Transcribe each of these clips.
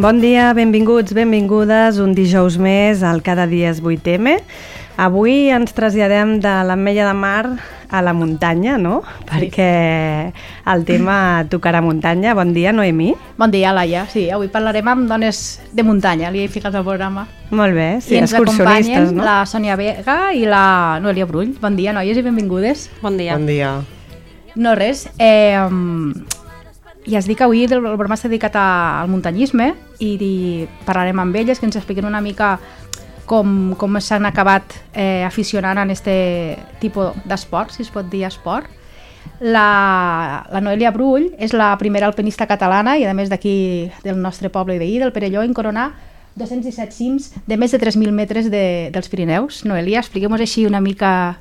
Bon dia, benvinguts, benvingudes, un dijous més al Cada dia és 8M. Avui ens traslladem de l'Ametlla de Mar a la muntanya, no? Perquè el tema tocarà muntanya. Bon dia, Noemí. Bon dia, Laia. Sí, avui parlarem amb dones de muntanya, li he ficat al programa. Molt bé, sí, I ens excursionistes, acompanyen no? la Sònia Vega i la Noelia Brull. Bon dia, noies, i benvingudes. Bon dia. Bon dia. No res, ja es dic que avui el programa està dedicat al muntanyisme i parlarem amb elles, que ens expliquen una mica com s'han acabat aficionant en este tipus d'esport, si es pot dir esport. La Noelia Brull és la primera alpinista catalana i a més d'aquí del nostre poble veí, del Perelló, en coronar 217 cims de més de 3.000 metres dels Pirineus. Noelia, expliquem-nos així una mica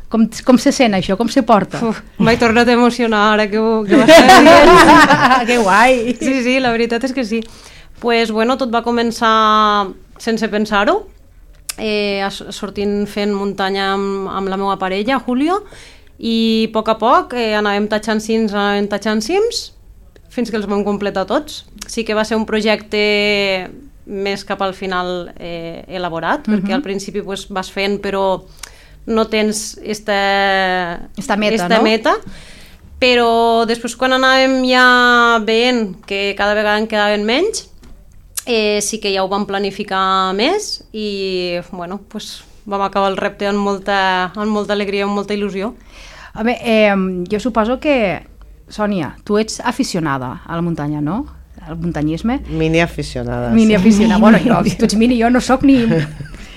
com se sent això, com se porta. M'he tornat a emocionar ara que ho estàs dient. Que guai! Sí, la veritat és que sí. Pues, bueno, tot va començar sense pensar-ho, sortint fent muntanya amb la meva parella, Julio, i a poc anàvem tatxant cims fins que els vam completar tots. Sí que va ser un projecte més cap al final elaborat, perquè al principi pues, vas fent però no tens esta meta, però després quan anàvem ja veient que cada vegada en quedaven menys, sí que ja ho vam planificar més i bueno, pues, vam acabar el repte amb molta alegria, amb molta il·lusió. A veure, jo suposo que, Sònia, tu ets aficionada a la muntanya, no? Al muntanyisme. Mini aficionada. Mini aficionada. Bueno, si tu ets mini, jo no soc ni...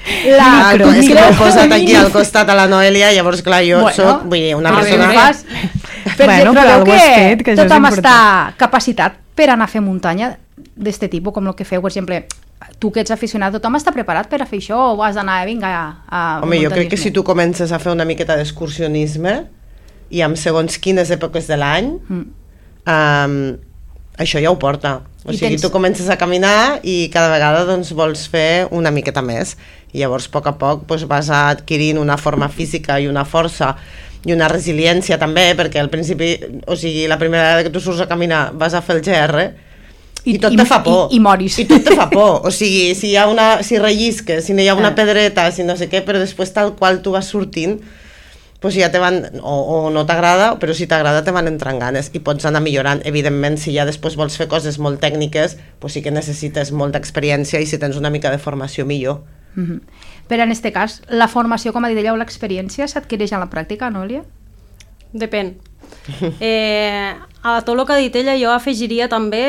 És que m'he posat aquí al costat a la Noelia, llavors clar, jo soc una persona... Però creu que tothom està capacitat per anar a fer muntanya d'este tipus, com el que feu, per exemple, tu que ets aficionat, tothom està preparat per a fer això o has d'anar, vinga, a Home, jo crec que si tu comences a fer una miqueta d'excursionisme i amb segons quines èpoques de l'any, això ja ho porta. O sigui, tu comences a caminar i cada vegada doncs, vols fer una miqueta més. I llavors, a poc, doncs, vas adquirint una forma física i una força i una resiliència també, perquè al principi, o sigui, la primera vegada que tu surts a caminar vas a fer el GR i tot te fa por. I moris. I tot te fa por. O sigui, si rellisques, si no hi ha una pedreta, si no sé què, però després tal qual tu vas sortint, pues ja te van, o no t'agrada, però si t'agrada te van entrant ganes i pots anar millorant. Evidentment, si ja després vols fer coses molt tècniques, pues sí que necessites molta experiència i si tens una mica de formació millor. Però en aquest cas, la formació, com ha dit ella, o l'experiència s'adquireix en la pràctica, Noelia? Depèn. A tot el que ha dit ella jo afegiria també,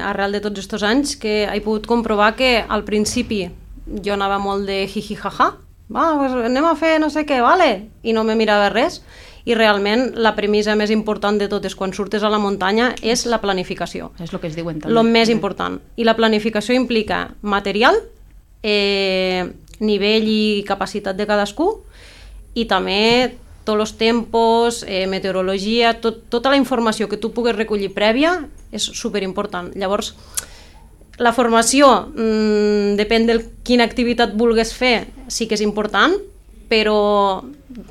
arrel de tots aquests anys, que he pogut comprovar que al principi jo anava molt de jiji jaja, pues anem a fer no sé què, vale? I no me mirava res, i realment la premissa més important de tot és quan surtes a la muntanya és la planificació. És el que es diuen també. El més important. I la planificació implica material, nivell i capacitat de cadascú i també tots els tempos, meteorologia, tota la informació que tu pugues recollir prèvia és superimportant. Llavors, la formació, depèn de quina activitat vulguis fer, sí que és important, però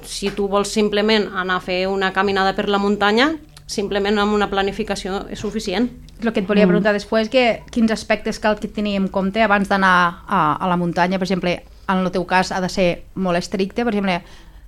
si tu vols simplement anar a fer una caminada per la muntanya, simplement amb una planificació és suficient. El que et volia preguntar després, que quins aspectes cal que tenir en compte abans d'anar a la muntanya, per exemple, en el teu cas ha de ser molt estricte, per exemple,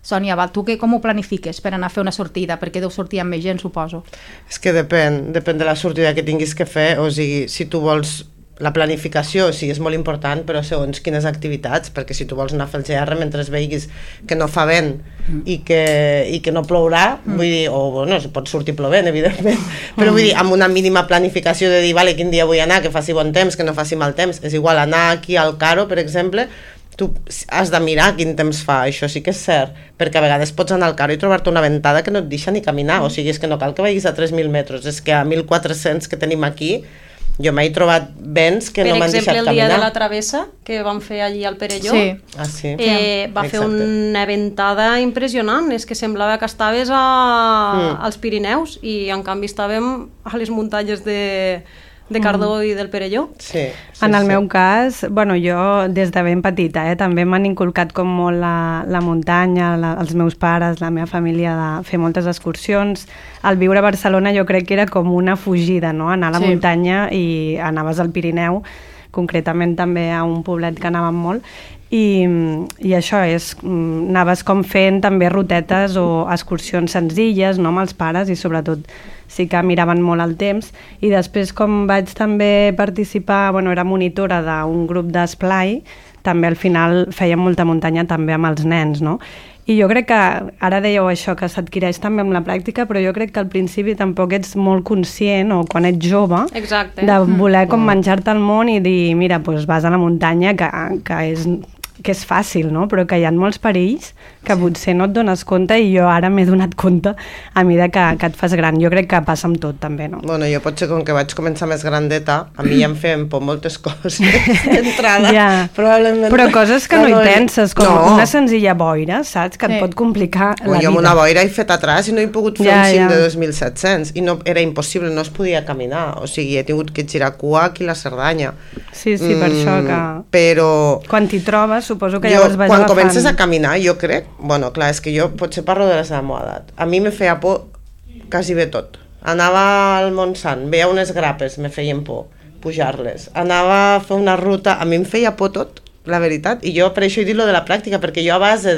Sònia, tu com ho planifiques per anar a fer una sortida? Perquè deu sortir amb més gent, suposo. És que depèn de la sortida que tinguis que fer, o sigui, si tu vols la planificació, sí, és molt important, però segons quines activitats, perquè si tu vols anar a fer el GR mentre veiguis que no fa vent i que no plourà, vull dir, o bueno, pot sortir plovent, evidentment, però vull dir, amb una mínima planificació de dir, vale, quin dia vull anar, que faci bon temps, que no faci mal temps, és igual anar aquí al Caro, per exemple, tu has de mirar quin temps fa, això sí que és cert, perquè a vegades pots anar al Caro i trobar-te una ventada que no et deixa ni caminar, o sigui, és que no cal que vagis a 3.000 metres, és que a 1.400 que tenim aquí, jo m'he trobat vents que no m'han deixat caminar. Per exemple, el dia de la travessa que vam fer allí al Perelló, va fer una ventada impressionant, és que semblava que estaves als Pirineus i en canvi estàvem a les muntanyes de de Cardó i del Perelló. Sí, En el meu cas, bueno, jo des de ben petita, també m'han inculcat com molt la muntanya, els meus pares, la meva família, de fer moltes excursions. Al viure a Barcelona jo crec que era com una fugida, no? Anar a la muntanya i anaves al Pirineu, concretament també a un poblet que anàvem molt, i això és, anaves com fent també rutetes o excursions senzilles, no, amb els pares, i sobretot sí que miraven molt el temps, i després com vaig també participar, bueno, era monitora d'un grup d'esplai, també al final fèiem molta muntanya també amb els nens, no? I jo crec que, ara dèieu això, que s'adquireix també amb la pràctica, però jo crec que al principi tampoc ets molt conscient, o quan ets jove, de voler com menjar-te el món i dir, mira, doncs vas a la muntanya, que és fàcil, no? Però que hi ha molts perills que potser no et dones compte, i jo ara m'he donat compte a mesura que et fas gran. Jo crec que passa amb tot, també, no? Bueno, jo potser com que vaig començar més grandeta, a mi ja em feien por moltes coses d'entrada. Probablement... Però coses que no hi penses, com una senzilla boira, saps? Que et pot complicar la vida. Jo amb una boira he fet atràs i no he pogut fer un cim de 2.700 i no, era impossible, no es podia caminar. O sigui, he tingut que girar cua aquí a la Cerdanya. Sí, per això que... Però... Quan t'hi trobes, suposo que llavors vas agafant... Quan comences a caminar, jo crec... Bueno, clar, és que jo potser parlo de la meva edat. A mi me feia por quasi bé tot. Anava al Montsant, veia unes grapes, me feien por pujar-les. Anava a fer una ruta, a mi em feia por tot, la veritat. I jo per això he dit lo de la pràctica, perquè jo a base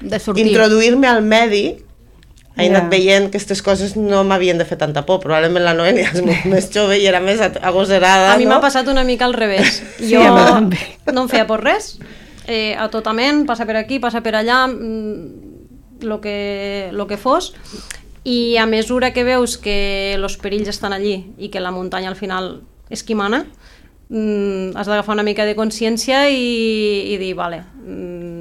d'introduir-me al medi he anat veient que aquestes coses no m'havien de fer tanta por. Probablement la Noelia és molt més jove i era més agosserada. A mi m'ha passat una mica al revés. Jo no em feia por res. A totament, passa per aquí, passa per allà, lo que fos, i a mesura que veus que els perills estan allí i que la muntanya al final és qui mana, has d'agafar una mica de consciència i dir, vale,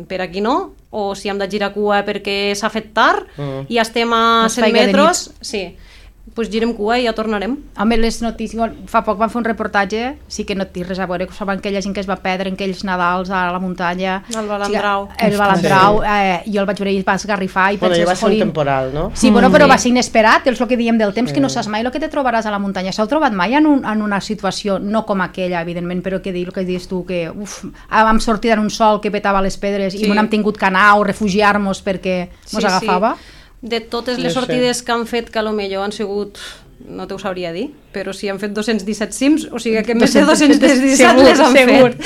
per aquí no, o si hem de girar cua perquè s'ha fet tard i estem a 100 metres, sí, doncs girem cua i ja tornarem. Home, les notícies, fa poc van fer un reportatge, sí que no té res a veure, saben aquella gent que es va perdre en aquells Nadals a la muntanya. El Balandrau. El Balandrau, jo el vaig veure i va esgarrifar i penses... Bueno, va ser un temporal, no? Sí, bueno, però va ser inesperat, és el que diem del temps, que no saps mai el que te trobaràs a la muntanya. S'heu trobat mai en una situació, no com aquella, evidentment, però que el que dius tu, que vam sortir en un sol que petava les pedres i no hem tingut que anar o refugiar-nos perquè mos agafava? De totes les sortides que han fet, que potser han sigut, no t'ho sabria dir, però si han fet 217 cims, o sigui que més de 217 les han fet.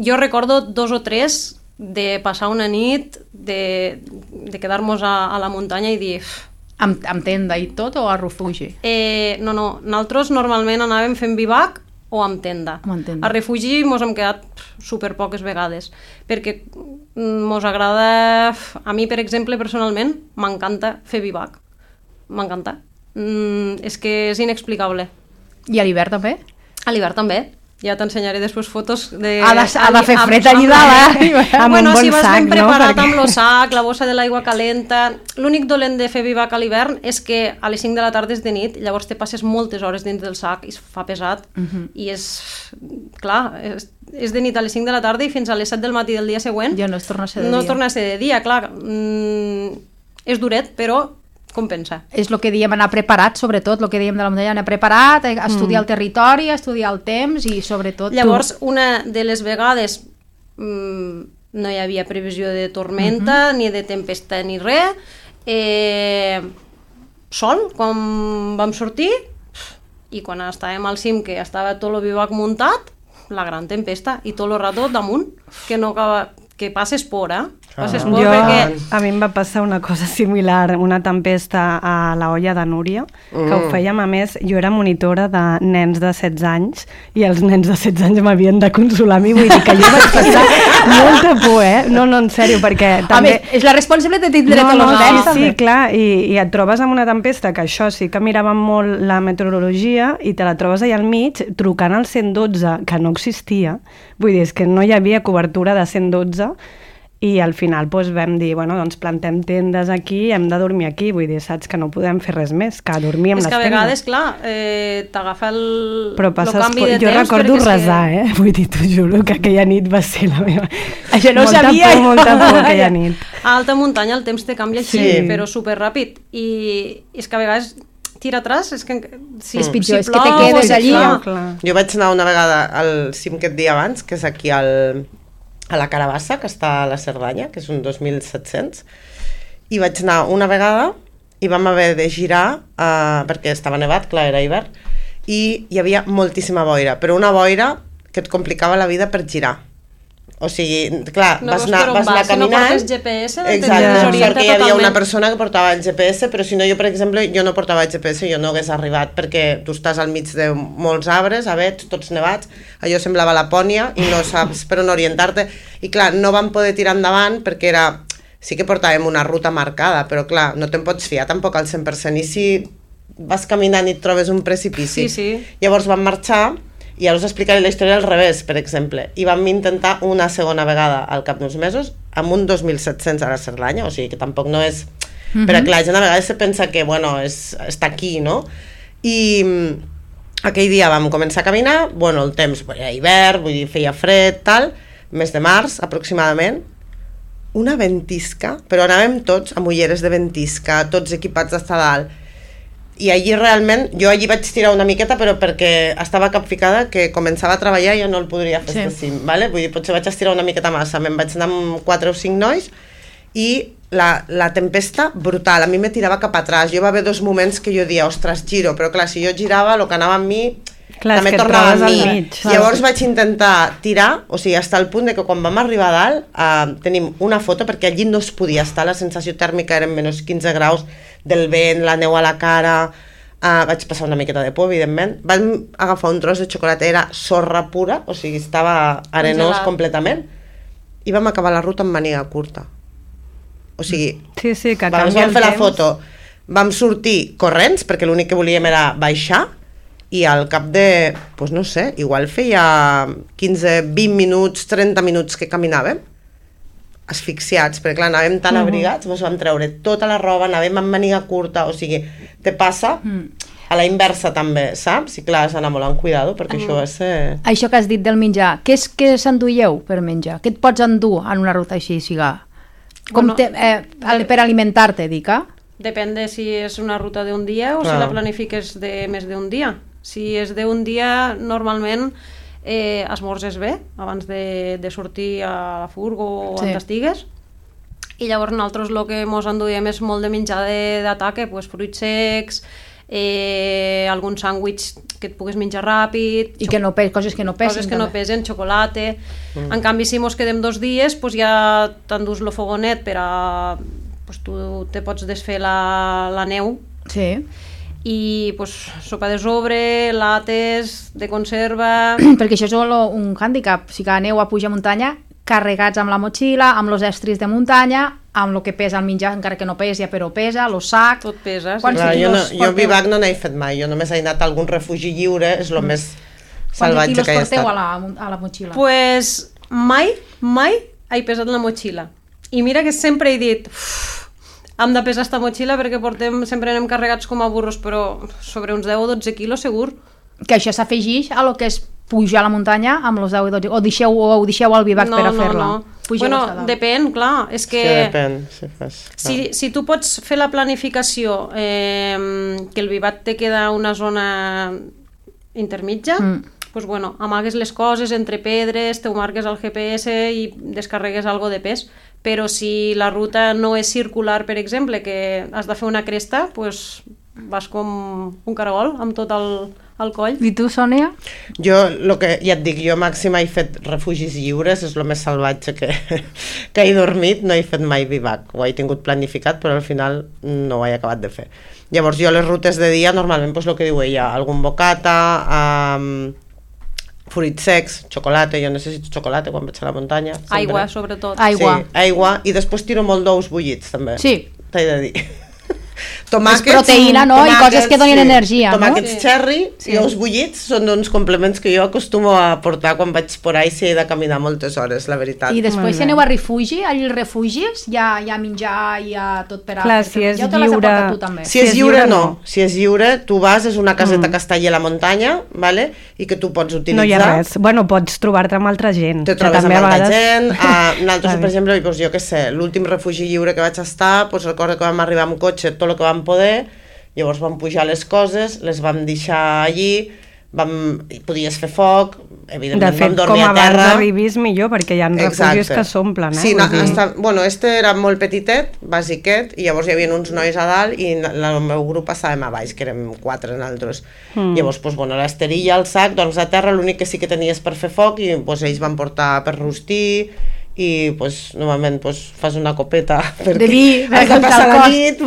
Jo recordo 2 o 3 de passar una nit, de quedar-nos a la muntanya i dir... Amb tenda i tot o a refugi? No, nosaltres normalment anàvem fent bivac o amb tenda. A refugi mos hem quedat super poques vegades, perquè mos agrada... A mi, per exemple, personalment, m'encanta fer bivac. M'encanta. És que és inexplicable. I a l'hivern també? A l'hivern també. Ja t'ensenyaré després fotos de... Ha de fer fred allà dalt, amb un bon sac, no? Si vas ben preparat amb el sac, la bossa de l'aigua calenta... L'únic dolent de fer bivac a l'hivern és que a les 5 de la tarda és de nit, llavors te passes moltes hores dins del sac i es fa pesat, i és... Clar, és de nit a les 5 de la tarda i fins a les 7 del matí del dia següent... Ja no es torna a ser de dia. No es torna a ser de dia, clar. És duret, però... compensa. És el que diem, anar preparat, sobretot, el que diem de la muntanya, anar preparat, estudiar el territori, estudiar el temps i sobretot... Llavors, una de les vegades no hi havia previsió de tormenta, ni de tempesta, ni res. Sol, quan vam sortir, i quan estàvem al cim, que estava tot el bivac muntat, la gran tempesta, i tot el rato damunt, que no acaba... que passes por, perquè... A mi em va passar una cosa similar, una tempesta a la olla de Núria, que ho fèiem, a més, jo era monitora de nens de 16 anys i els nens de 16 anys m'havien de consolar a mi, vull dir que jo vaig passar molta por, No, en sèrio, perquè també... Home, és la responsable de tindre tots els nens, sí, clar, i et trobes amb una tempesta, que això sí que miràvem molt la meteorologia, i te la trobes allà al mig, trucant al 112, que no existia, vull dir, és que no hi havia cobertura de 112, i al final vam dir, bueno, doncs plantem tendes aquí, hem de dormir aquí, vull dir, saps que no podem fer res més, que dormir amb les tendes. És que a vegades, clar, t'agafa el canvi de temps... Jo recordo resar, vull dir, t'ho juro que aquella nit va ser la meva... Això no ho sabia! Molta por aquella nit. A alta muntanya el temps te canvia així, però superràpid, i és que a vegades tira atràs, és que... Si, És pitjor, si és que te plou, quedes si allí. fa- Clar. Jo vaig anar una vegada al cim que et dia abans, que és aquí a la Carabassa, que està a la Cerdanya, que és un 2.700, i vaig anar una vegada i vam haver de girar, perquè estava nevat, clar, era hivern, i hi havia moltíssima boira, però una boira que et complicava la vida per girar. O sigui, clar, No vas veus anar, per on vas anar vas, si no caminant... portes GPS, te Exacte, desorienta sort que hi havia una totalment. persona que portava el GPS, però si no, jo, per exemple, jo no portava el GPS, jo no hagués arribat, perquè tu estàs al mig de molts arbres, avets, tots nevats, allò semblava Lapònia i no saps per on orientar-te. I clar, no vam poder tirar endavant perquè era... Sí que portàvem una ruta marcada, però clar, no te'n pots fiar tampoc al 100%, i si vas caminant i et trobes un precipici. Sí, sí. Llavors vam marxar, i ara us explicaré la història al revés, per exemple, i vam intentar una segona vegada al cap d'uns mesos amb un 2.700 a la Cerdanya, o sigui que tampoc no és... Però clar, la gent a vegades se pensa que, bueno, està aquí, no? I aquell dia vam començar a caminar, bueno, el temps era hivern, vull dir, feia fred, tal, mes de març aproximadament, una ventisca, però anàvem tots amb ulleres de ventisca, tots equipats d'estar dalt, i allí realment, jo allí vaig tirar una miqueta, però perquè estava capficada que començava a treballar i jo no el podria fer este cim, ¿vale? Vull dir, potser vaig estirar una miqueta massa, me'n vaig anar amb 4 o 5 nois, i la tempesta brutal, a mi me tirava cap atràs, jo va haver 2 moments que jo dia, ostres, giro, però clar, si jo girava, el que anava amb mi, Clar, també és que et tornava trobes amb al mi. mig. Llavors vaig intentar tirar, o sigui, fins al punt de que quan vam arribar a dalt tenim una foto, perquè allí no es podia estar, la sensació tèrmica eren menys 15 graus, del vent, la neu a la cara, vaig passar una miqueta de por, evidentment. Vam agafar un tros de xocolata, era sorra pura, o sigui, estava arenós Congelat. completament, i vam acabar la ruta amb màniga curta. O sigui, Sí, sí, que vam canvia el fer la temps. foto, vam sortir corrents, perquè l'únic que volíem era baixar, i al cap de, doncs no sé, igual feia 15, 20 minuts, 30 minuts que caminàvem, asfixiats, perquè clar, anàvem tan abrigats, ens vam treure tota la roba, anàvem amb màniga curta, o sigui, te passa a la inversa també, saps? I clar, has d'anar molt amb cuidado, perquè això va ser... Això que has dit del menjar, què és que s'enduieu per menjar? Què et pots endur en una ruta així, siga? Com Bueno, per alimentar-te, dic, Depèn de si és una ruta d'un dia o si Clar. la planifiques de més d'un dia. Si és d'un dia, normalment esmorzes bé abans de sortir a la furgo o Sí. on estigues. I llavors nosaltres el que mos enduiem és molt de menjar d'ataque, pues, fruits secs, algun sàndwich que et puguis menjar ràpid, I que no coses que no pesin. coses que no també. pesen, xocolata. En canvi, si mos quedem 2 dies, pues ja t'endús el fogonet per a... Pues tu te pots desfer la neu Sí, i pues, sopa de sobre, lates de conserva... perquè això és un hàndicap. Si que aneu a pujar muntanya, carregats amb la motxilla, amb els estris de muntanya, amb el que pesa el menjar, encara que no pesa, però pesa, el sac... Tot pesa. Sí. Quants Clar, quilos jo porteu? Vivac no n'he fet mai, jo només he anat a algun refugi lliure, és el més Quants salvatge quilos que he porteu estat. a la motxilla? Pues mai he pesat la motxilla. I mira que sempre he dit... Hem de pesar esta motxilla perquè sempre anem carregats com a burros, però sobre uns 10 o 12 quilos segur. Que això s'afegeix a lo que és pujar a la muntanya amb els 10 i 12, o ho deixeu al bivac per a fer-la? Pugeu Bueno, hasta dalt. depèn, clar. És que... Sí, depèn, si fas... Si tu pots fer la planificació que el bivat te queda una zona intermitja, pues bueno, amagues les coses entre pedres, te ho marques al GPS i descarregues algo de pes, però si la ruta no és circular, per exemple, que has de fer una cresta, pues vas com un caragol amb tot el coll. I tu, Sònia? Jo, ja et dic, jo màxim he fet refugis lliures, és el més salvatge que he dormit, no he fet mai bivac, ho he tingut planificat, però al final no ho he acabat de fer. Llavors jo les rutes de dia, normalment, doncs el que diu ella, algun bocata, fruits secs, xocolata, jo necessito xocolata quan vaig a la muntanya. Sempre. Aigua, sobretot. Aigua. Sí, aigua, i després tiro molt d'ous bullits, també. Sí. T'he de dir. Tomàquets, És proteïna, no? I coses que donin energia, no? Tomàquets Sí. cherry Sí. i ous bullits són uns complements que jo acostumo a portar quan vaig por ahí si he de caminar moltes hores, la veritat. I després Molt si bé. aneu a refugi, als refugis hi ha menjar, hi ha tot per a... Clar, per si és ja te l'has de lliure- portar tu, també. Si és lliure, no. Si és lliure, tu vas, és una caseta que està allà a la muntanya, vale? I que tu pots utilitzar. No hi ha res. Bueno, pots trobar-te amb altra gent. Te que trobes amb també a altra vegades- gent. Nosaltres, Clar. per exemple, doncs, jo què sé, l'últim refugi lliure que vaig estar, doncs recordo que vam arribar amb cotxe tot el que vam poder, Llavors vam pujar les coses, les vam deixar allí, podies fer foc, evidentment vam dormir a terra. De fet, com abans arribis millor, perquè hi ha refugis que s'omplen. Sí, este era molt petitet, basiquet, i llavors hi havia uns nois a dalt i el meu grup estàvem a baix, que érem 4 nosaltres. Llavors, l'esterilla, el sac, doncs a terra l'únic que sí que tenies per fer foc i ells van portar per rostir i normalment fas una copeta de vi, has de passar la nit,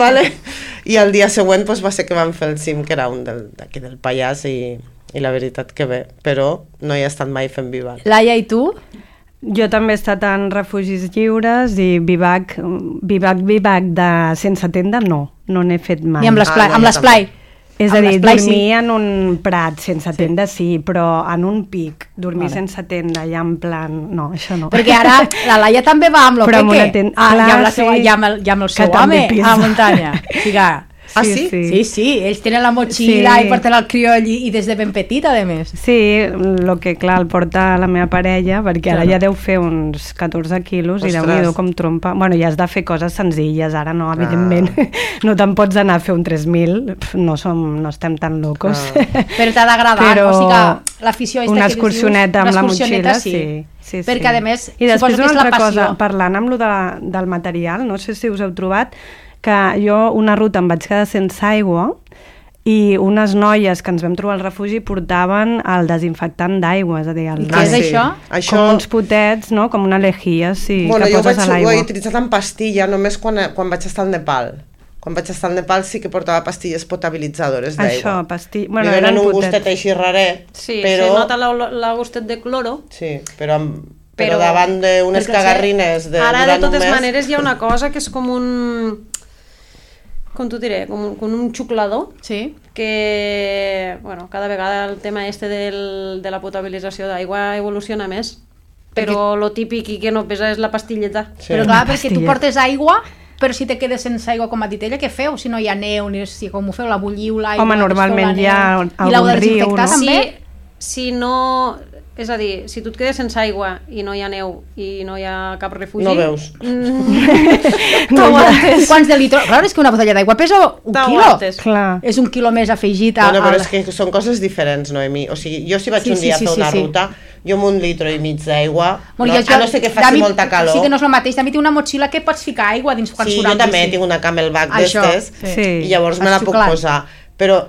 i el dia següent va ser que vam fer el cim, que era un d'aquí del Pallars, i la veritat que bé, però no hi he estat mai fent bivac. Laia, i tu? Jo també he estat en refugis lliures i bivac de sense tenda no n'he fet mai. Ni amb l'esplai? És a dir, dormir en un prat sense tenda sí, però en un pic, dormir sense tenda ja en plan... No, això no. Perquè ara la Laia també va amb l'Opeque, i amb el seu home a la muntanya. Ah, sí? Sí, ells tenen la motxilla i porten el crioll i des de ben petit, a més. Sí, el que clar el porta la meva parella, perquè ara ja deu fer uns 14 quilos i Déu-n'hi-do com trompa. Bueno, ja has de fer coses senzilles, ara no, evidentment. No te'n pots anar a fer un 3.000, no estem tan locos. Però t'ha d'agradar, o sigui que l'afició una excursioneta amb la motxilla, sí. Perquè a més, i després una altra cosa, parlant amb lo del material, no sé si us heu trobat, que jo una ruta em vaig quedar sense aigua i unes noies que ens vam trobar al refugi portaven el desinfectant d'aigua, és a dir, què és això? Com uns potets, no? Com una lejía, sí, que poses a l'aigua. Jo ho he utilitzat en pastilla només quan vaig estar al Nepal. Quan vaig estar al Nepal sí que portava pastilles potabilitzadores d'aigua. Això, pastilles... Bueno, eren un gustet així raret, sí, però... se nota la gustet de cloro. Sí, però davant d'unes cagarrines ara, de totes maneres, hi ha una cosa que és com un... com t'ho diré, com un xuclador, que, bueno, cada vegada el tema de la potabilització d'aigua evoluciona més, però lo típic i que no pesa és la pastilleta. Però clar, perquè tu portes aigua, però si te quedes sense aigua, com ha dit ella, què feu? Si no hi ha neu, ni si com ho feu, la bulliu, l'aigua... Home, normalment hi ha algun riu, no? També? Si no... És a dir, si tu et quedes sense aigua i no hi ha neu i no hi ha cap refugi... No veus. Quants de litres? Clar, és que una botella d'aigua pesa un quilo. Clar. És un quilo més afegit a... Bueno, però és que són coses diferents, Noemi. O sigui, jo si vaig un dia a fer una ruta, jo amb 1,5 litres d'aigua, a no ser que faci molta calor... Sí que no és el mateix. També tinc una motxilla que pots ficar aigua dins quan surt. Sí, jo també tinc una Camelback d'estes i llavors me la puc posar. Però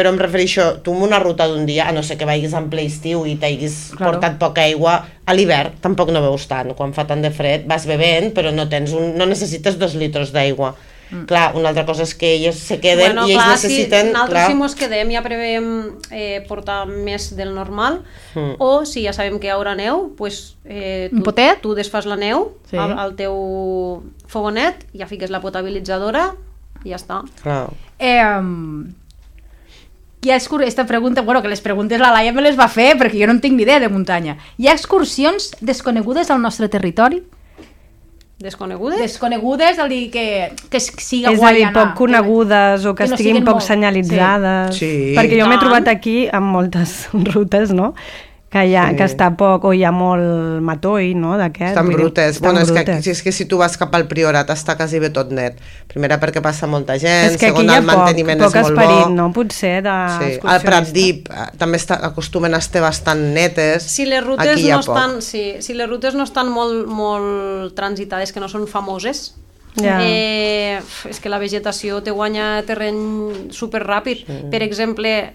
em refereixo, tu en una ruta d'un dia, a no ser que vagis en ple estiu i t'haguis portat poca aigua, a l'hivern tampoc no veus tant, quan fa tant de fred vas bevent, però no necessites 2 litres d'aigua. Clar, una altra cosa és que elles se queden i ells necessiten... Si nosaltres si mos quedem ja prevem portar més del normal, o si ja sabem que hi haurà neu, tu desfas la neu al teu fogonet, ja fiques la potabilitzadora i ja està. Clar. Hi ha esta pregunta, bueno, que les preguntes la Laia me les va fer perquè jo no en tinc ni idea de muntanya. Hi ha excursions desconegudes al nostre territori? Desconegudes? Desconegudes, al dir que siga guai anar. És a dir, poc conegudes o que estiguin poc senyalitzades. Sí. Perquè jo m'he trobat aquí amb moltes rutes, no?, que està poc, o hi ha molt matoll, no?, d'aquest. Estan brutes. Bueno, és que si tu vas cap al Priorat està quasi bé tot net. Primera perquè passa molta gent, segon el manteniment és molt bo. És que aquí hi ha poc esperit, no?, potser, d'excursionista. Al Prat Dip també acostumen a estar bastant netes. Si les rutes no estan molt transitades, que no són famoses, és que la vegetació te guanya terreny superràpid. Per exemple,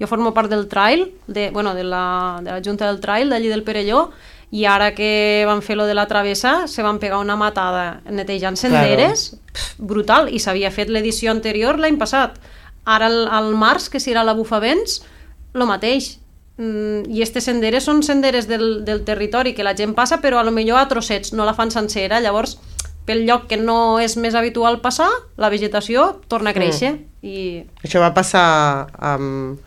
jo formo part del trail, de la Junta del Trail d'allí del Perelló, i ara que van fer lo de la travessa se van pegar una matada netejant senderes, brutal, i s'havia fet l'edició anterior l'any passat. Ara al març, que serà la Bufavents, lo mateix. I aquestes senderes són senderes del territori que la gent passa, però a lo millor a trossets, no la fan sencera, llavors pel lloc que no és més habitual passar, la vegetació torna a créixer. Això va passar amb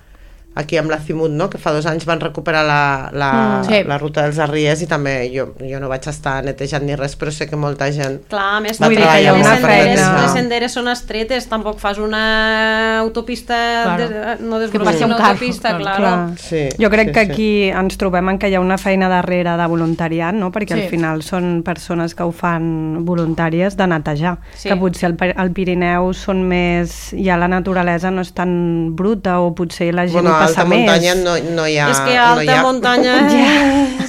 aquí amb la Cimut, no? Que fa 2 anys van recuperar la ruta dels Arriers i també jo no vaig estar netejant ni res, però sé que molta gent clar, a més, va treballar les senderes són estretes, tampoc fas una autopista no desbrossi una autopista, clar. Sí, jo crec que aquí ens trobem en que hi ha una feina darrere de voluntariat, no? Perquè al final són persones que ho fan voluntàries de netejar, que potser al Pirineu són més, ja la naturalesa no és tan bruta o potser la gent passa més. Alta muntanya no hi ha... És que alta muntanya...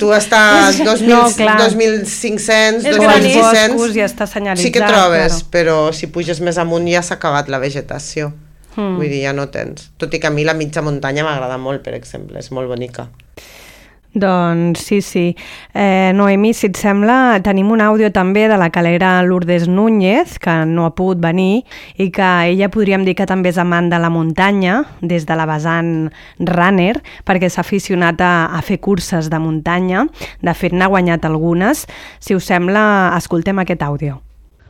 Tu estàs 2.500, 2.600... ja està senyalitzat. Sí que trobes, però si puges més amunt ja s'ha acabat la vegetació. Vull dir, ja no tens. Tot i que a mi la mitja muntanya m'agrada molt, per exemple, és molt bonica. Doncs sí. Noemi, si et sembla, tenim un àudio també de la calera Lourdes Núñez, que no ha pogut venir, i que ella podríem dir que també és amant de la muntanya, des de la vessant runner, perquè s'ha aficionat a fer curses de muntanya. De fet, n'ha guanyat algunes. Si us sembla, escoltem aquest àudio.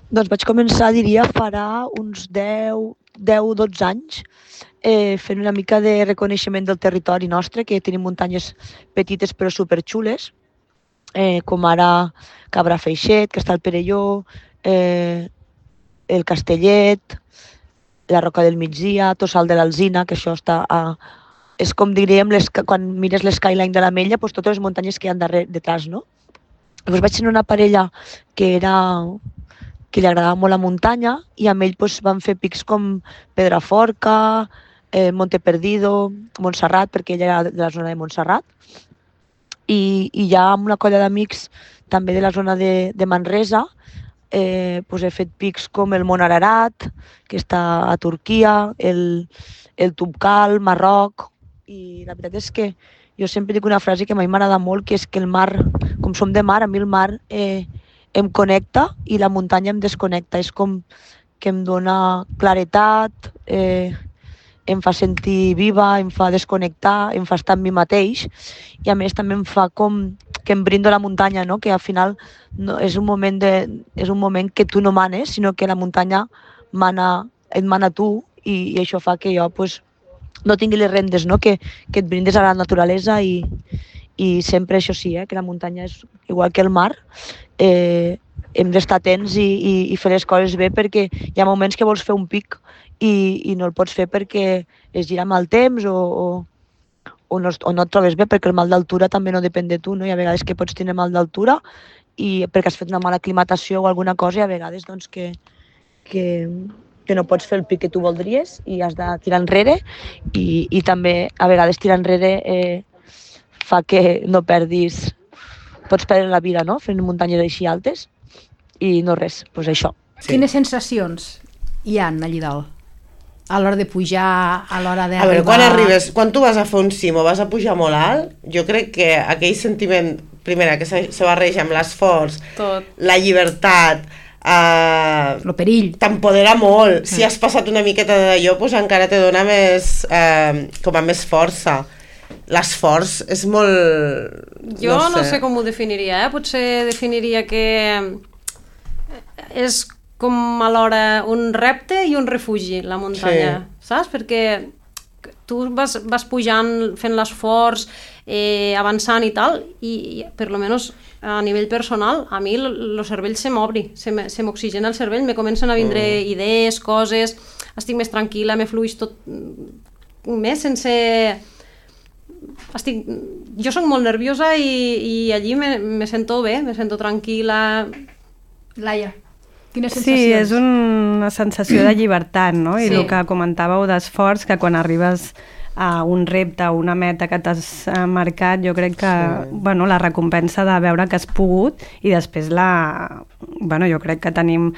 Doncs vaig començar, diria, farà uns 10-12 anys, fent una mica de reconeixement del territori nostre, que tenim muntanyes petites però superxules, com ara Cabra Feixet, que està al Perelló, el Castellet, la Roca del Migdia, Tossal de l'Alzina, que això està és com diríem, quan mires l'skyline de l'Ametlla, doncs totes les muntanyes que hi ha detrás, no? Llavors vaig tenir una parella que li agradava molt la muntanya i amb ell doncs, van fer pics com Pedraforca, Monte Perdido, Montserrat, perquè ella era de la zona de Montserrat, i ja amb una colla d'amics també de la zona de Manresa doncs he fet pics com el Mont Ararat, que està a Turquia, el Toubkal, Marroc, i la veritat és que jo sempre dic una frase que a mi m'agrada molt, que és que el mar, com som de mar, a mi el mar em connecta i la muntanya em desconnecta. És com que em dona claretat, em fa sentir viva, em fa desconnectar, em fa estar amb mi mateix i a més també em fa com que em brindo la muntanya, no? Que al final no, és un moment que tu no manes, sinó que la muntanya et mana tu i això fa que jo pues, no tingui les rendes, no? Que et brindes a la naturalesa i sempre això sí, que la muntanya és igual que el mar, hem d'estar atents i fer les coses bé perquè hi ha moments que vols fer un pic i no el pots fer perquè es gira mal temps o no et trobes bé, perquè el mal d'altura també no depèn de tu, no? Hi ha vegades que pots tenir mal d'altura i perquè has fet una mala aclimatació o alguna cosa, i a vegades doncs, que no pots fer el pic que tu voldries i has de tirar enrere i també a vegades tirar enrere fa que no perdis, pots perdre la vida, no? Fent muntanyes així altes i no res, doncs això. Sí. Quines sensacions hi ha allà dalt? A l'hora de pujar, a l'hora d'arribar... A veure, quan tu vas a fer un cim o vas a pujar molt alt, jo crec que aquell sentiment, primera, que se barreja amb l'esforç, la llibertat, el perill, t'empodera molt. Si has passat una miqueta d'allò, doncs encara te dona més, com a més força. L'esforç és molt... Jo no sé com ho definiria, potser definiria que és com alhora un repte i un refugi, la muntanya, saps? Perquè tu vas pujant, fent l'esforç, avançant i tal, i per lo menos a nivell personal, a mi el cervell se m'obri, se m'oxigena el cervell, me comencen a vindre idees, coses, estic més tranquil·la, me fluix tot més sense... Jo soc molt nerviosa i allí me sento bé, me sento tranquil·la. Laia, quines sensacions? Sí, és una sensació de llibertat, no? I el que comentàveu d'esforç, que quan arribes a un repte, a una meta que t'has marcat, jo crec que la recompensa de veure que has pogut i després jo crec que tenim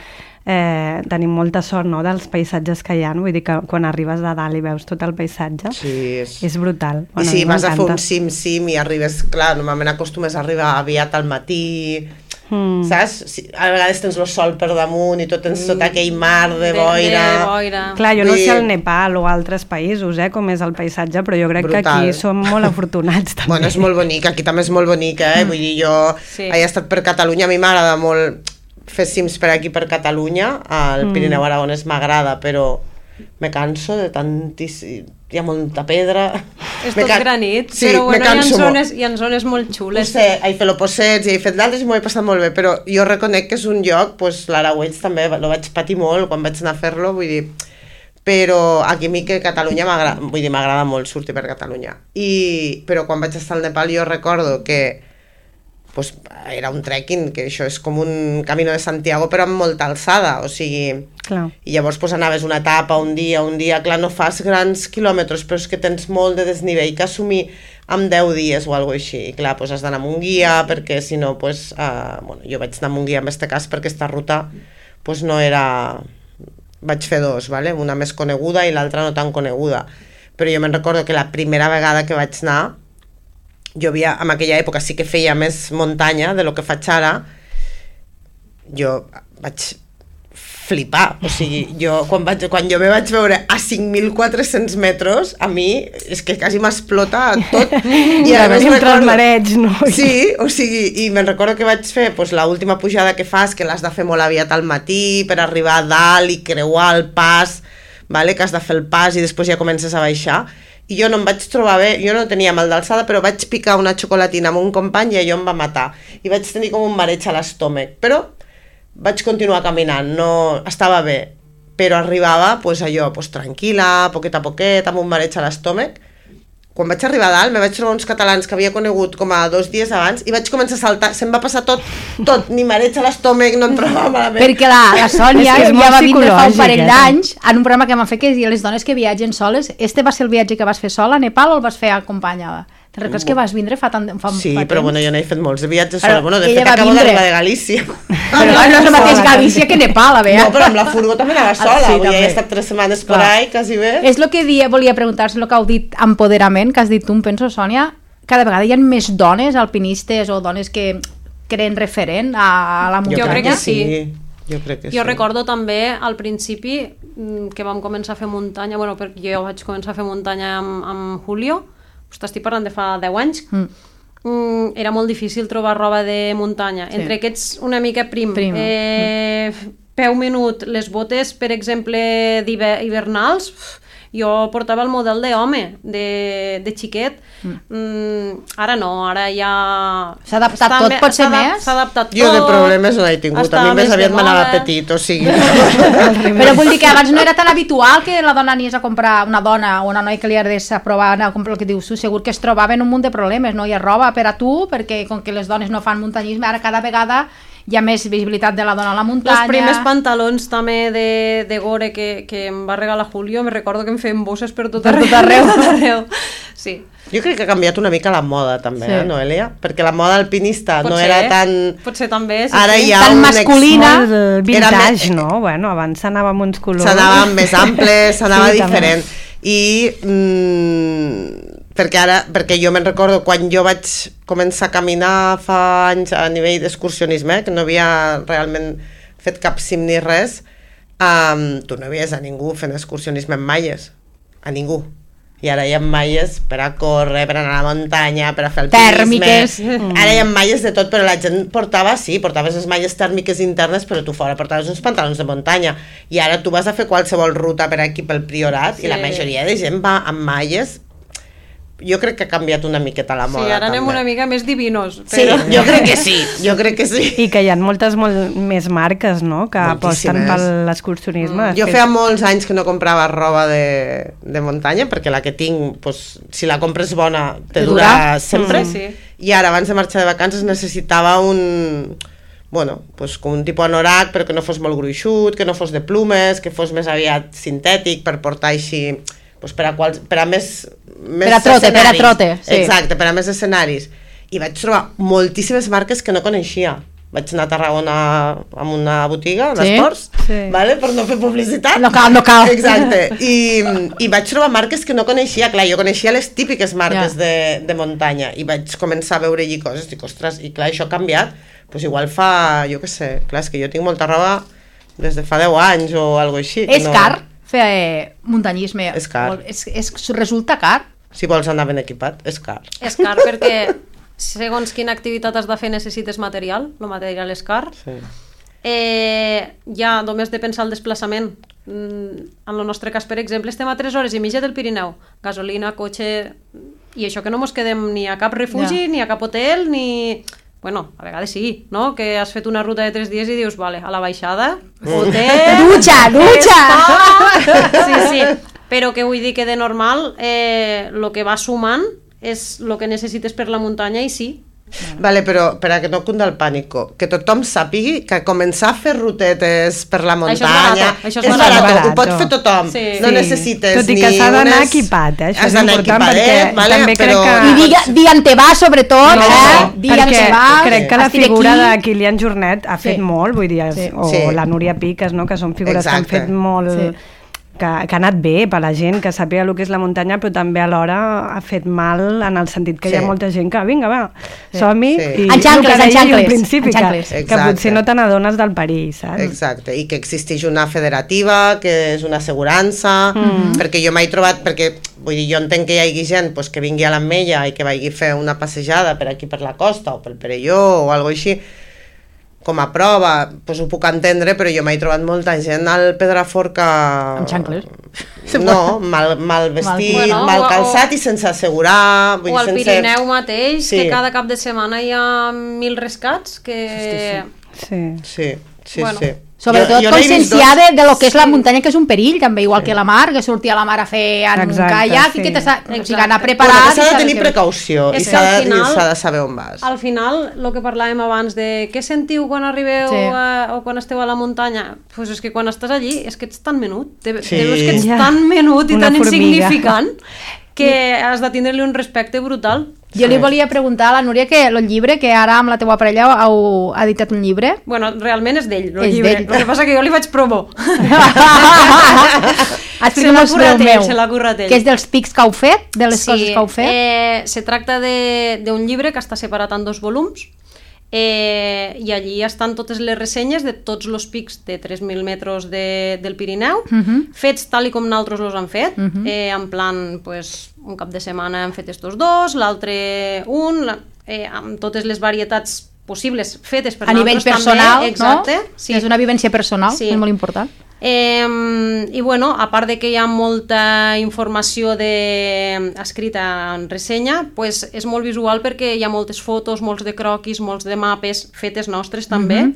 molta sort, no?, dels paisatges que hi ha, vull dir que quan arribes de dalt i veus tot el paisatge és brutal. I si vas a fer un cim i arribes, clar, normalment acostumes a arribar aviat al matí, saps? A vegades tens el sol per damunt i tens tot aquell mar de boira. Clar, jo no sé el Nepal o altres països, com és el paisatge, però jo crec que aquí som molt afortunats també. Bueno, és molt bonic, aquí també és molt bonic, vull dir, jo he estat per Catalunya, a mi m'agrada molt fer cims per aquí per Catalunya, el Pirineu Aragonès m'agrada, però me canso de tantíssim... Hi ha molta pedra... És tot granit, sí, però bueno, molt. hi ha zones molt xules. No sé, he fet l'Opossets i he fet d'altres i m'ho he passat molt bé, però jo reconec que és un lloc, doncs l'Aragüells també, lo vaig patir molt quan vaig anar a fer-lo, vull dir... Però aquí a mi que Catalunya m'agrada molt sortir per Catalunya. Però quan vaig estar al Nepal jo recordo que pues, era un trekking, que això és com un Camino de Santiago però amb molta alçada, o sigui... Clar. I llavors pues, anaves una etapa, un dia, clar, no fas grans quilòmetres, però és que tens molt de desnivell que assumir amb 10 dies o alguna cosa així. I clar, pues, has d'anar amb un guia, perquè si no, pues, bueno, jo vaig anar amb un guia en aquest cas perquè aquesta ruta pues, no era... Vaig fer dos, ¿vale? Una més coneguda i l'altra no tan coneguda. Però jo me'n recordo que la primera vegada que vaig anar, jo havia, en aquella època sí que feia més muntanya de lo que faig ara, jo vaig flipar, o sigui, quan jo me vaig veure a 5.400 metres, a mi és que quasi m'explota tot. I a més entre els marets, no? Sí, o sigui, i me'n recordo que vaig fer pues, l'última pujada que fas, que l'has de fer molt aviat al matí per arribar a dalt i creuar el pas, vale? Que has de fer el pas i després ja comences a baixar, i jo no em vaig trobar bé, jo no tenia mal d'alçada, però vaig picar una xocolatina amb un company i allò em va matar, i vaig tenir com un mareig a l'estómac, però vaig continuar caminant, no estava bé, però arribava pues, allò, pues, tranquil·la, poquet a poquet, amb un mareig a l'estómac. Quan vaig arribar a dalt, me vaig trobar uns catalans que havia conegut com a 2 dies abans i vaig començar a saltar, se'm va passar tot, ni mareig a l'estómac, no em trobava malament. Perquè la Sònia ja va vindre fa un parell d'anys en un programa que vam fer que deia les dones que viatgen soles. Este va ser el viatge que vas fer sola a Nepal o el vas fer acompanyada? Te'n recordes que vas vindre fa sí, però bueno, jo n'he fet molts de viatges sola. Bueno, de fet acabo d'arribar de Galícia. Però no és el mateix Galícia que Nepal, a veure. No, però amb la furgo també anava sola, sí, he estat 3 setmanes por ahí, quasi bé. És el que volia preguntar-se, el que heu dit empoderament, que has dit tu, em penso, Sònia, cada vegada hi ha més dones alpinistes o dones que creen referent a la muntanya. Jo crec que sí. Jo crec que jo recordo també al principi que vam començar a fer muntanya, bueno, jo vaig començar a fer muntanya amb Julio, estic parlant de fa 10 anys, era molt difícil trobar roba de muntanya. Sí. Entre aquests una mica prim. Peu menut, les botes, per exemple, hivernals, jo portava el model d'home, de xiquet. Ara no, ara ja... S'ha adaptat tot, potser més? S'ha adaptat tot. Jo de problemes no he tingut, a mi més aviat m'anava petit, o sigui... Però vull dir que abans no era tan habitual que la dona anies a comprar, una dona o una noia que li agradés a provar, anar a comprar el que dius tu, segur que es trobaven un munt de problemes, no hi ha roba per a tu, perquè com que les dones no fan muntanyisme, ara cada vegada hi ha més visibilitat de la dona a la muntanya. Els primers pantalons també de gore que em va regalar Julio, me recordo que em feien bosses per tot arreu. Sí. Jo crec que ha canviat una mica la moda també, sí. No, Elia? Perquè la moda alpinista no era tan... Potser també, sí. Ara hi ha tan masculina. Vintage, no? Bueno, abans s'anava amb uns colors. S'anava més amples, s'anava diferent. I... perquè jo me'n recordo quan jo vaig començar a caminar fa anys a nivell d'excursionisme, que no havia realment fet cap cim ni res, tu no veies a ningú fent excursionisme en malles, a ningú. I ara hi ha malles per a córrer, per anar a la muntanya, per a fer alpinisme. Tèrmiques. Ara hi ha malles de tot, però la gent portaves les malles tèrmiques internes, però tu fora portaves uns pantalons de muntanya. I ara tu vas a fer qualsevol ruta per aquí pel Priorat, sí. I la majoria de gent va amb malles. Jo crec que ha canviat una miqueta la moda. Sí, ara anem també. Una mica més divinos. Però... Sí, jo crec que sí. I que hi ha moltes més marques, no?, que aposten per l'excursionisme. Jo feia molts anys que no comprava roba de muntanya, perquè la que tinc, pues, si la compres bona, te dura sempre. Sí. I ara, abans de marxar de vacances, necessitava pues, com un tipus anorac, però que no fos molt gruixut, que no fos de plumes, que fos més aviat sintètic, per portar així... Pues per a més trote, sí. Exacte, per a més escenaris. I vaig trobar moltíssimes marques que no coneixia. Vaig anar a Tarragona amb una botiga d'esports, vale? Per no fer publicitat. No cal. Exacte. I vaig trobar marques que no coneixia. Clar, jo coneixia les típiques marques de muntanya i vaig començar a veure-hi coses. Dic, ostres, i clar, això ha canviat. Pues igual fa, jo què sé, clar, és que jo tinc molta roba des de fa 10 anys o alguna cosa així. És car fer muntanyisme? És car. Resulta car? Si vols anar ben equipat, és car. És car perquè segons quina activitat has de fer necessites material, el material és car. Sí. Ja només de pensar el desplaçament. en el nostre cas, per exemple, estem a 3 hores i mitja del Pirineu, gasolina, cotxe, i això que no mos quedem ni a cap refugi, ni a cap hotel, ni... Bueno, a vegades sí, no? Que has fet una ruta de 3 dies i dius, vale, a la baixada, hotel... Dutxa! Sí, però que vull dir que de normal el que va sumant és el que necessites per la muntanya i sí. Vale, però per a que no cunda el pànico, que tothom sàpigui que començar a fer rutetes per la muntanya això és barat, ho pot fer tothom, no necessites tot i que s'ha d'anar equipat, això és important, perquè també crec que... I dia en te va, sobretot, dia en te va. Crec que la figura de Kilian Jornet ha fet molt, vull dir, o la Núria Piques, que són figures que han fet molt... que ha anat bé per la gent, que sàpiga el que és la muntanya, però també alhora ha fet mal en el sentit que hi ha molta gent que, vinga, va, som-hi, i en xancles, al principi, que potser no te n'adones del perill, saps? Exacte, i que existeix una federativa, que és una assegurança, perquè jo m'he trobat, perquè vull dir, jo entenc que hi hagi gent que vingui a l'Ametlla i que vagi a fer una passejada per aquí per la costa o pel Perelló o alguna cosa així, com a prova, doncs ho puc entendre, però jo m'he trobat molta gent al Pedraforca... Amb xancles? No, mal vestit, mal calçat i sense assegurar... O al Pirineu mateix, que cada cap de setmana hi ha 1.000 rescats, que... Sí. Sobretot conscienciada de lo que és la muntanya, que és un perill, també, igual que la mar, que sortir a la mar a fer en caiac, i que anar preparat... S'ha de tenir precaució i s'ha de saber on vas. Al final, el que parlàvem abans de què sentiu quan arribeu o quan esteu a la muntanya, doncs és que quan estàs allí és que ets tan menut, te veus que ets tan menut i tan insignificant que has de tindre-li un respecte brutal. Jo li volia preguntar a la Núria que el llibre, que ara amb la teua parella heu editat un llibre. Bueno, realment és d'ell, el llibre. El que passa que jo li faig promo. Se l'ha currat ell. Que és dels pics que heu fet, de les coses que heu fet. Se tracta d'un llibre que està separat en 2 volums, i allí estan totes les ressenyes de tots els pics de 3.000 metres del Pirineu, fets tal i com nosaltres els han fet, en plan, un cap de setmana hem fet estos 2, l'altre un, amb totes les varietats possibles fetes per nosaltres també. A nivell personal, exacte, no? Sí. És una vivència personal, és molt important. I bueno, a part de que hi ha molta informació escrita en ressenya, pues és molt visual perquè hi ha moltes fotos, molts de croquis, molts de mapes fetes nostres també.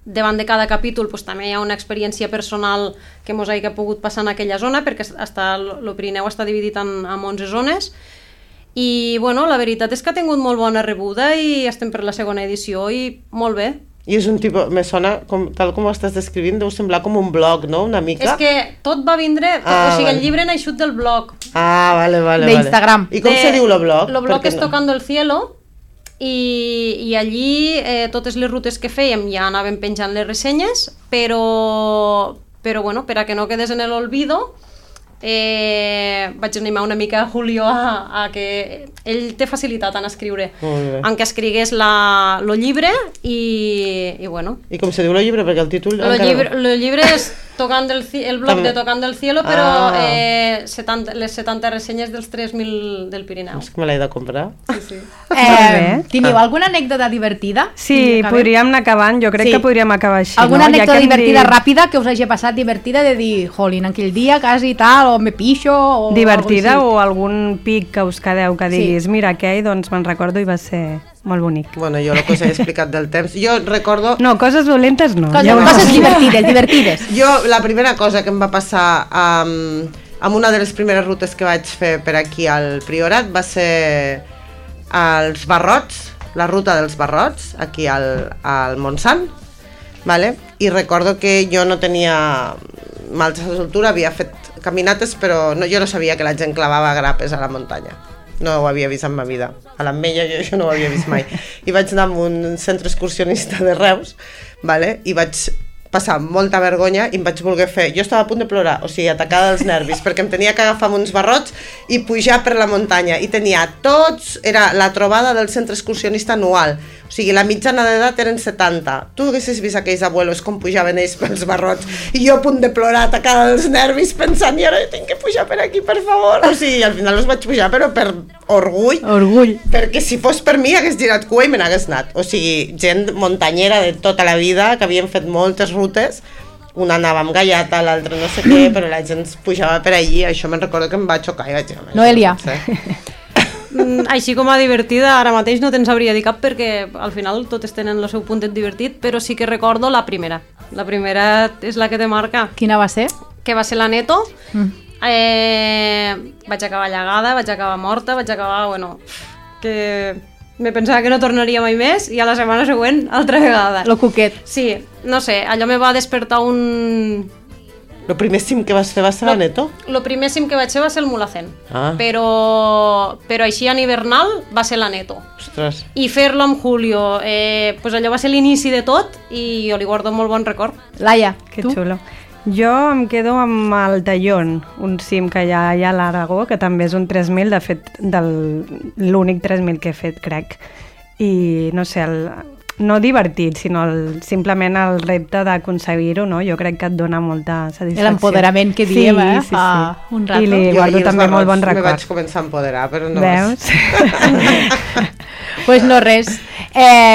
Davant de cada capítol pues, també hi ha una experiència personal que mos hagi pogut passar en aquella zona, perquè el Pirineu està dividit en 11 zones. I bueno, la veritat és que ha tingut molt bona rebuda i estem per la segona edició i molt bé. I és un tipus, me sona, tal com ho estàs descrivint, deu semblar com un blog, no? Una mica. És que tot va vindre, o sigui, el llibre ha naixut del blog. Vale. D'Instagram. I com se diu el blog? El blog és Tocando el Cielo, i allí totes les rutes que fèiem ja anàvem penjant les ressenyes, però bueno, per a que no quedés en l'olvido, vaig animar una mica a Julio a que ell té facilitat en escriure, en que escrigués el llibre i bueno. I com se diu el llibre? Perquè el títol... El llibre és el blog de Tocando el Cielo, però les 70 ressenyes dels 3.000 del Pirineu. És que me l'he de comprar. Sí. Teniu alguna anècdota divertida? Sí, podríem anar acabant, jo crec que podríem acabar així. Alguna anècdota divertida ràpida que us hagi passat divertida de dir, jolín, aquell dia quasi tal, o me pixo, o... Divertida o algun pic que us quedeu que diguis, mira, aquell, doncs me'n recordo i va ser molt bonic. Bueno, jo el que us he explicat del temps, jo recordo... No, coses dolentes no. Coses divertides. Jo, la primera cosa que em va passar amb una de les primeres rutes que vaig fer per aquí al Priorat va ser als Barrots, la ruta dels Barrots, aquí al Montsant, vale? I recordo que jo no tenia mals de soltura, havia fet caminates, però jo no sabia que la gent clavava grapes a la muntanya. No ho havia vist en ma vida. A l'Ametlla jo això no ho havia vist mai. I vaig anar a un centre excursionista de Reus, vale? I vaig passar molta vergonya i em vaig voler fer... Jo estava a punt de plorar, o sigui, atacada dels nervis, perquè em tenia que agafar uns barrots i pujar per la muntanya. I tenia tots... Era la trobada del centre excursionista anual. O sigui, la mitjana d'edat eren 70. Tu haguessis vist aquells abuelos com pujaven ells pels barrots i jo a punt de plorar, atacada dels nervis, pensant, i ara tinc que pujar per aquí, per favor. O sigui, al final els vaig pujar, però per orgull. Perquè si fos per mi hagués girat cua i me n'hagués anat. O sigui, gent muntanyera de tota la vida, que havien fet moltes rutes, una anava amb gallata, l'altra no sé què, però la gent pujava per allí, això me'n recordo que em va xocar i vaig dir... Noelia. Així com a divertida, ara mateix no te'n sabria dir cap perquè al final totes tenen el seu puntet divertit, però sí que recordo la primera. La primera és la que te marca. Quina va ser? Que va ser la Neto. Vaig acabar llegada, vaig acabar morta, vaig acabar, bueno, que me pensava que no tornaria mai més i a la setmana següent altra vegada. Lo cuquet. Sí, no sé, allò me va despertar un... El primer cim que vas fer va ser la Neto? El primer cim que vaig fer va ser el Mulhacén, Ah. però així en hivernal va ser la Neto. Ostres. I fer-lo amb Julio, pues allò va ser l'inici de tot i jo li guardo molt bon record. Laia, Que tu? xulo. Jo em quedo amb el Tallón, un cim que hi ha a l'Aragó, que també és un 3.000, de fet, l'únic 3.000 que he fet, crec. I, no sé, no divertit, sinó simplement el repte d'aconseguir-ho, no? Jo crec que et dona molta satisfacció. L'empoderament que diem, sí, fa un rato. I li guardo també molt bon record. Me vaig començar a empoderar, però no... Veus? Pues no res.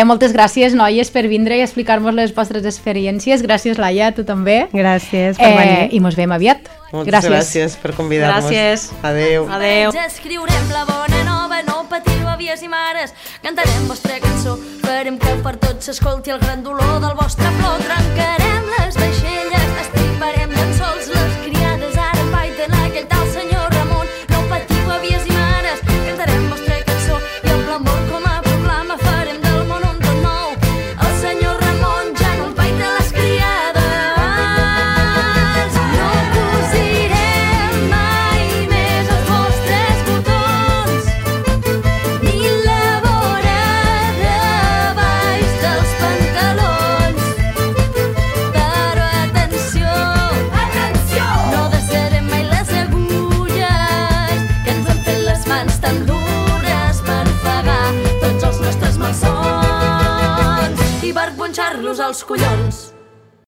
Moltes gràcies, noies, per vindre i explicar-nos les vostres experiències. Gràcies, Laia, a tu també. Gràcies per venir. I mos veiem aviat. Moltes gràcies per convidar-nos. Gràcies. Adéu. Adéu. Escriurem la bona nova, no patiu, àvies i mares. Cantarem vostra cançó, farem que per tots s'escolti el gran dolor del vostre plor. Trencarem les vaixelles, estriparem llençols, les criades ara empaiten aquell tal senyor Ramon. No patiu, àvies i mares, cantarem vostra cançó i amb l'amor com a proclama farem del món un tot nou. El senyor Ramon ja no empaita les criades. No cosirem mai més els vostres botons ni la vora de baix dels pantalons. Però atenció, no desserem mai les agulles que ens han fet les mans tan dures per pagar tots els nostres malsons i per punxar-los als collons.